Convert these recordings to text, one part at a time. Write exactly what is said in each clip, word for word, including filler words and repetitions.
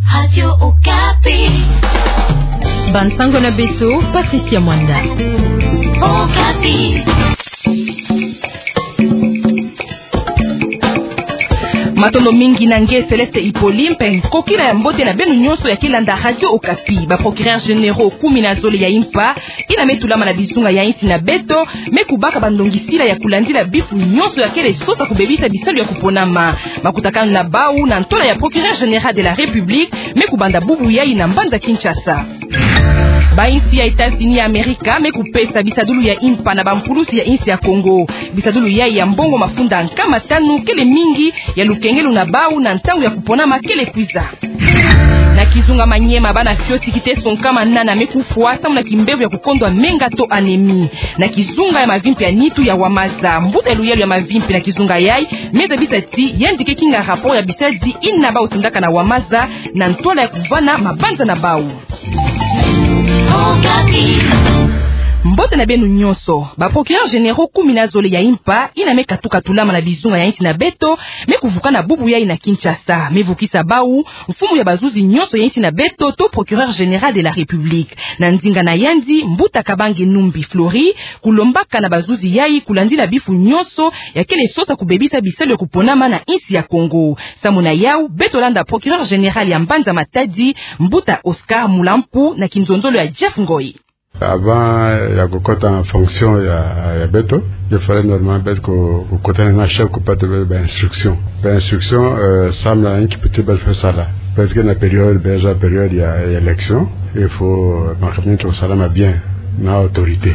Radio Okapi. Bansango na beto, Patricia Mwanda. Okapi. Matondo mingi na nge Céleste Hippolyte, mpe kokila ya mbote na beno nyonso ya ke landa Radio Okapi. Ba procureurs généraux kumi na zole ya impa, ina me tulama na bizunga ya insi na beto, me kubaka bandongisila ya kulandila bifu nyonso ya kele sosa kubebisa bisalu ya kuponama. Makutakanu na bau na ntola ya Procureur Général de la République me kubanda bubu yai na mbanza Kinshasa. Ba insi ya États-Unis ya Amerika me kupesa bisadulu ya impa na bampulusi ya insi ya Congo. Bisadulu yai ya mbongo mafunda nkama tanu kele mingi ya lukengelo na bau na ntangu ya kuponama kele kwiza. Na kizunga Maniema, bana fioti kiteso nkama nana me kufwa samu na kimbevo ya kukondwa menga to anémie. Na kizunga ya mavimpi ya nitu ya Wamaza, mbuta ya luyalu ya mavimpi na kizunga yai me zabisa ti yandi ke kinga rapport ya bisadi ina bau tindaka na Wamaza na ntola ya kuvana mabanza na bau. Mbote na beno nyonso. Ba procureurs généraux kumi na zole ya impa, ina me katuka tulama na bizunga ya insi na beto, me kuvukana bubu yai na Kinshasa, me vukisa bau mfumu ya bazuzi nyonso ya insi na beto to Procureur Général de la République. Na nzinga na yandi, mbuta Kabange Numbi Fleury, kulombaka na bazuzi yai kulandila bifu nyonso ya kele sosa kubebisa bisalu ya kuponama na insi ya Congo. Samu na yau, beto landa Procureur Général ya mbanza Matadi, mbuta Oscar Mulampu, na kinzonzolo ya Jeff Ngoi. Avant ya kukota na fonction ya, ya beto, il fallait normalement beto ku-, kukutana na chef kupata ba, ba instruction. Ba instruction, euh, samu na inki piti beto fo sala. Parce que na période, beto za période ya, ya élection, il faut, euh, makambo nyonso salama bien na autorité.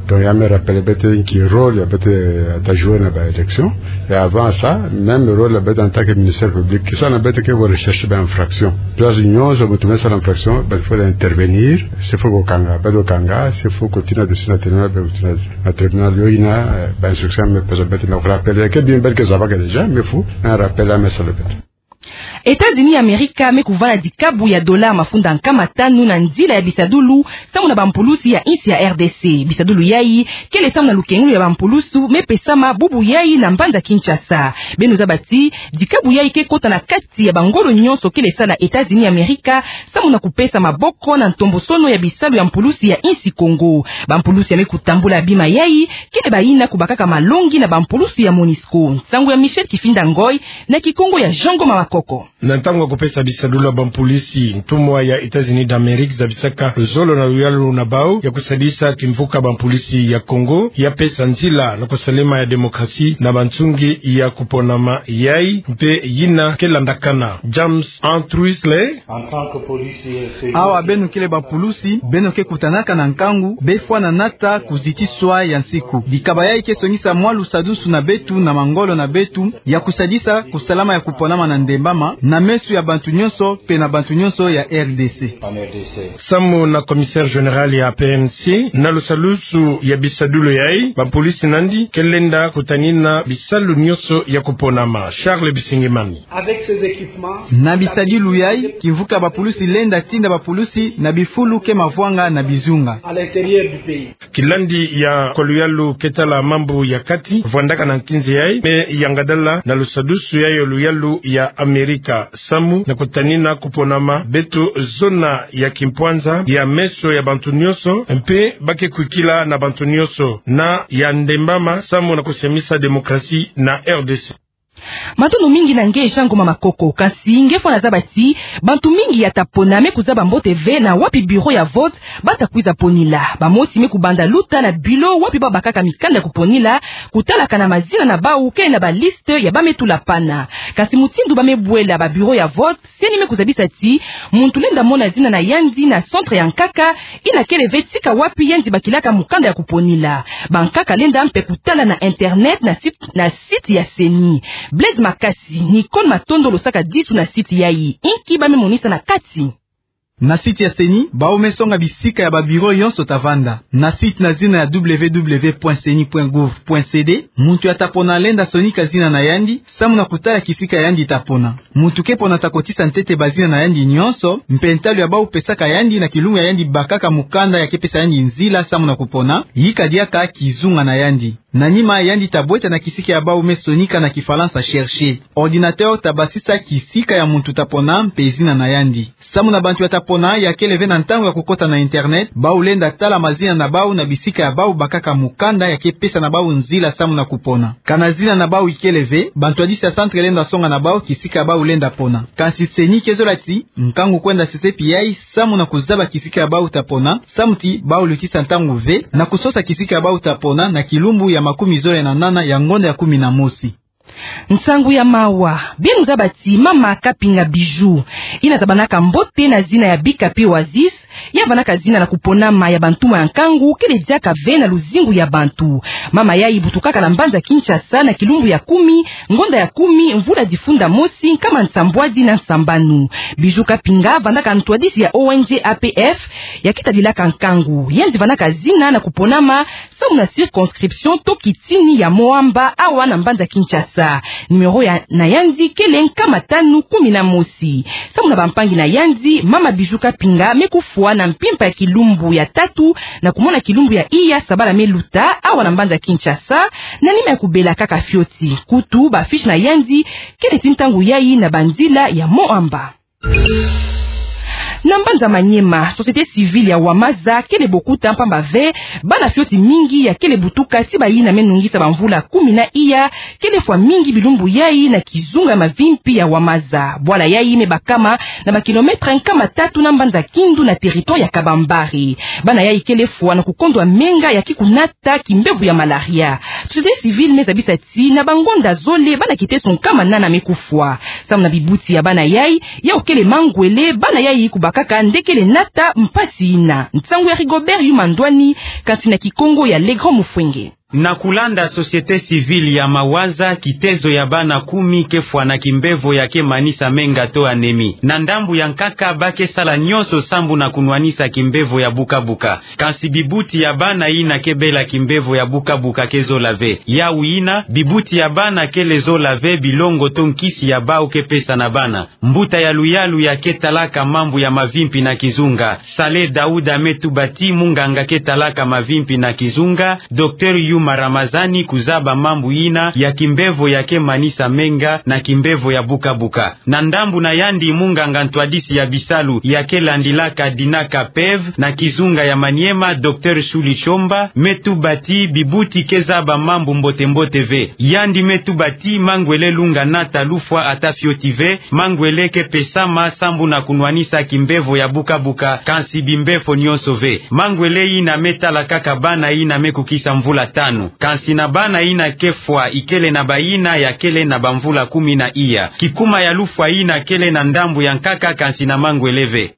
Donc, ya me rappeler beto inki rôle ya beto, euh, ta jouer na ba élection. Et avant ça, même rôle ya beto en tant que ministère public, kisa na beto ke recherche ba infraction. Place nyonso muntu me sala infraction, beto fo intervenir, s'il faut kukanga, beto kanga, s'il faut kutina dossier na tribunal, beto kutina na tribunal, yo ina, euh, ba instruction me pesa beto na rappeler, ke bien beto ke zabaka déjà, mais faut un rappel ya me sala beto. États-Unis ya Amerika me kuvana dikabu ya dola mafunda nkama tanu na nzila ya bisadulu, samu na bampulusi ya insi ya R D C. Bisadulu yai kele samu na lukengelo ya bampulusi me pesama bubu yai na mbanza Kinshasa. Beno zaba ti dikabu yai ke kota na kati ya bangolo nyonso kele sala États-Unis ya Amerika, samu na kupesa maboko na ntombosono ya bisalu ya mpulusi ya insi Congo. Bampulusi ya me kutambula bima yai kele bayina kubakaka malongi na bampulusi ya Monusco. Nsangu ya Michel Kifinda Ngoi, na Kikongo ya Jean Ngoma Makoko. Na ntangu ya kupesa bisadulu ya bampulusi, ntumwa ya États-Unis d'Amérique zabisaka luzolo na luyalu na bau ya kusadisa kimvuka bampulusi ya Congo, ya pesa nzila na kusalema ya démocratie na bansungi ya kuponama yai, mpe yina ke landakana. James Antrusley. Awa beno kele bampulusi, beno ke kutanaka na nkangu, be fwana nata kuzitiswa ya nsiku. Dikaba yai ke songisa mwa lusadusu na beto na mangolo na beto, ya kusadisa kusalama ya kuponama na ndembama, na meso ya bantu nyonso, mpe na bantu nyonso ya R D C. Samu na commissaire général ya P N C, na lusadusu ya bisadulu yai, bampulusi na yandi ke lenda kutanina bisalu nyonso ya kuponama. Charles Bisingimani. Avec ces équipements, na bisadulu yai, kimvuka bampulusi lenda tinda bampulusi na bifulu ke mavwanga na bizunga. À l'intérieur du pays. Kilandi ya kwa luyalu ke tala mambu ya kati, vwandaka na nkinzi yai, me yangadala na lusadusu yai ya luyalu ya Amerika, samu na kutanina kuponama beto zona ya kimpwanza ya meso ya bantu nyonso, mpe ba ke kwikila na bantu nyonso na ya ndembama, samu na kusemisa démocratie na R D C. Matondo mingi na nge Jean Ngoma Makoko, kasi nge fwana zaba ti bantu mingi ya ta pona me kuzaba mbote ve na wapi bureau ya vote ba ta kwiza ponila. Bamosi me kubanda luta na bilo wapi ba bakaka mikanda ya kuponila, kutalaka na mazina na bau kele na baliste ya ba me tula pana. Kasi mutindu ba me bwela ba bureau ya vote, CENI me kuzabisa ti muntu lenda mona zina na yandi na centre ya nkaka, ina kele ve tika wapi yandi bakilaka mukanda ya kuponila. Bankaka lenda mpe kutala na internet na site, na site ya CENI. Blaise Makasi, Nicole Matondo losaka disu na site yai. Inki ba me monisa na kati? Na site ya CENI, bau me songa bisika ya ba bureau yonso ta vanda. Na site na zina ya W W W point ceni point gouv point C D, muntu ya ta pona lenda sonika zina na yandi, samu na kutala kisika yandi ta pona. Muntu ke pona ta kotisa ntete bazina na yandi nyonso, mpe ntalu ya bau pesaka yandi na kilunga ya yandi bakaka mukanda ya ke pesa yandi nzila samu na kupona, yika diaka kizunga na yandi. Na nima yandi ta bweta na kisika ya bau me sonika na kifalansa chercher. Ordinateur ta basisa kisika ya muntu ta pona mpe zina na yandi. Samu na bantu ya ta pona, ya kele ve na ntangu ya kukota na internet, bau lenda tala mazina na bau na bisika ya bau bakaka mukanda ya ke pesa na bau nzila samu na kupona. Kana zina na bau ikele ve, bantwadisi ya centre lenda songa na bau kisika ya bau lenda pona. Kansi CENI ke zola ti nkangu kwenda sesepi yai samu na kuzaba kisika ya bau ta pona, samu ti bau lutisa ntangu ve na kusosa kisika ya bau ta pona na kilumbu ya makumi zole na nana ya ngonda ya kumi na mosi. Nsangu ya mawa. Beno zaba ti mama Kapinga Bijou, yina zabanaka mbote na zina ya Bikapi Oasis, ya vandaka zina na kuponama ya bantuma ya nkangu, kele diaka ve na luzingu ya bantu. Mama yai butukaka na mbanza Kinshasa na kilumbu ya kumi, ngonda ya kumi, mvula difunda mosi, nkama nsambwadi na nsambanu. Bijou Kapinga vandaka ntwadisi ya O N G A P F, ya ke tadilaka nkangu. Yandi vandaka zina na kuponama samu na circonscription to kitini ya Moamba, awa na mbanza Kinshasa. Numéro ya, na yandi kele nkama tanu kumi na mosi. Samu na bampangi na yandi, mama Bijou Kapinga me kufwa na mpimpa ya kilumbu ya tatu na kumona kilumbu ya iya sabala me luta, awa na mbanza Kinshasa, na nima ya kubela kaka fioti. Kutu, ba fiche na yandi kele ti ntangu yai na banzila ya Moamba. Na mbanza Maniema, société civile ya Wamaza kele bokuta mpamba ve bana fioti mingi ya kele butuka ti bayina me nungisa bamvula kumi na iya, kele fwa mingi bilumbu yai na kizunga ya mavimpi ya Wamaza. Bwala yai me bakama na ba kilomètre nkama tatu na mbanza Kindu na territoire ya Kabambare. Bana yai kele fwa na kukondwa menga ya ke kunata kimbevo ya malaria. Société civile me zabisa ti na bangonda zole bana kiteso nkama nana me kufwa. Samu na bibuti ya bana yai, yau kele mangwele, bana yai kubakaka nde kele nata mpasi yina. Nsangu ya Rigobert Yuma Ndwani, kansi na Kikongo ya Le Grand Mufwenge. Na kulanda société civile ya Mawaza, kitezo ya bana kumi ke fwa na kimbevo ya ke manisa menga to anémie. Na ndambu ya nkaka, ba ke sala nyonso sambu na kunwanisa kimbevo ya buka-buka. Kansi bibuti ya bana yina ke bela kimbevo ya buka-buka ke zola ve. Yau yina, bibuti ya bana kele zola ve bilongo to nkisi ya bau ke pesa na bana. Mbuta ya luyalu ya ke talaka mambu ya mavimpi na kizunga, Saleh Daouda, me tuba ti munganga ke talaka mavimpi na kizunga, Docteur Yuma Ramazani, kuzaba mambu yina ya kimbevo ya ke manisa menga na kimbevo ya buka-buka. Na ndambu na yandi, munganga ntwadisi ya bisalu ya ke landilaka Dinaka P E V na kizunga ya Maniema, Docteur Shuli Chomba, me tuba ti bibuti ke zaba mambu mbote-mbote ve. Yandi me tuba ti mangwele lunga nata lufwa ata fioti ve, mangwele ke pesama sambu na kunwanisa kimbevo ya buka-buka, kansi bimbefo nyonso ve. Mangwele yina me tala kaka bana yina me kukisa mvula tanu. Kansi na bana yina ke fwa, ikele na bayina ya kele na bamvula kumi na iya. Kikuma ya lufwa yina kele na ndambu ya nkaka, kansi na mangwele ve.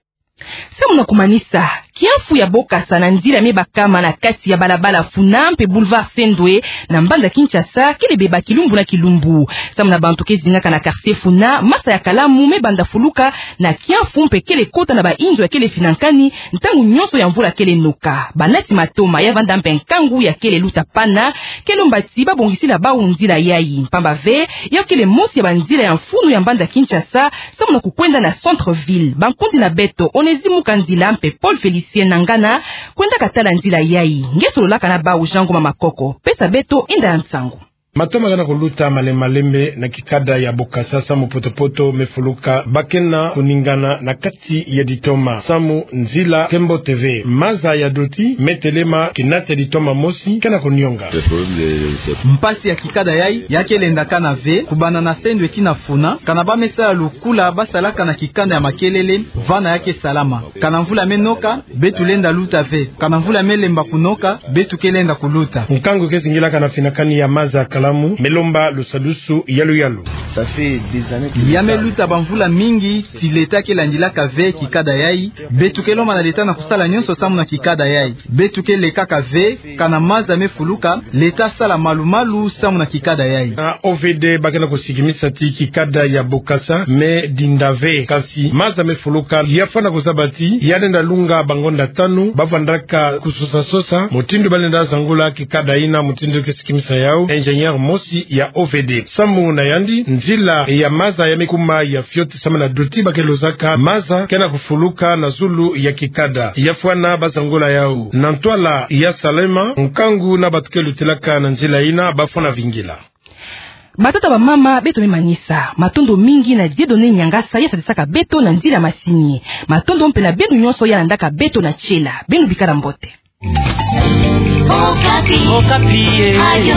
Samu na kumanisa, kiamfu ya Bokasa na nzila me bakama na kati ya balabala Funa mpe Boulevard Sendwe na mbanza Kinshasa kele beba kilumbu na kilumbu. Samu na bantu ke zingaka na quartier Funa, masa ya kalamu me banda fuluka na kiamfu mpe kele kota na bainzo ya kele finankani ntangu nyonso ya mvula kele noka. Banati matoma ya vanda mpe nkangu ya kele luta pana, ke lomba ti ba bongisila bau nzila yai. Mpamba ve, yau kele mosi ya banzila ya mfunu ya mbanza Kinshasa, samu na kukwenda na centre-ville. Bankundi na beto, Onésime Mukandila mpe Paul Félicien Nangana, kwendaka tala nzila yai. Nge sololaka na bau, Jean Ngoma Makoko. Pesa beto inda ya nsangu. Matoma ke na kuluta malembe-lembe na kikada ya Bokasa samu poto-poto me fuluka, ba ke na kuningana na kati ya ditoma, samu nzila ke mbote ve. Maza ya doti me telema, kinate ditoma mosi ke na kunionga. Mpasi ya kikada yai, ya ke lenda kana ve, kubanda na Sendwe tii na Funa, kana ba me sala lukula ba salaka na kikanda ya makelele, vana ya ke salama. Kana mvula me noka, beto lenda luta ve. Kana mvula me lemba kunoka, beto ke lenda kuluta. Nkangu ke zingilaka na finankani ya maza ya kalamu, me lomba lusadusu ya luyalu. Ya me luta bamvula mingi, ti leta ke landilaka ve kikada yai. Beto ke lomba na leta na kusala nyonso samu na kikada yai. Beto ke lekaka ve, kana maza me fuluka, leta sala malu-malu samu na kikada yai. Na O V D ba ke na kusikimisa ti kikada ya Bokasa me dinda ve, kansi maza me fuluka, ya fwana kuzaba ti ya lenda lunga bangonda tanu, ba vandaka kusosa-sosa mutindu ba lenda zangula kikada yina, mutindu ke sikimisa yau ingénieur mosi ya O V D. Samu na yandi, nzila ya maza ya mikuma ya fioti samu na duti bakelo zaka maza ke na kufuluka na zulu ya kikada. Ya fwana bazangula yau. Na ntwala ya Salema, nkangu na bato ke lutilaka na nzila yina bafwana vingila. Batata, bamama, beto me manisa. Matondo mingi na Dieudonné Niangasa ya sadisaka beto na nzila masini. Matondo mpe na beno nyonso ya landaka beto na tiela. Beno bikala mbote. Okapi. Okapi, eh. Radio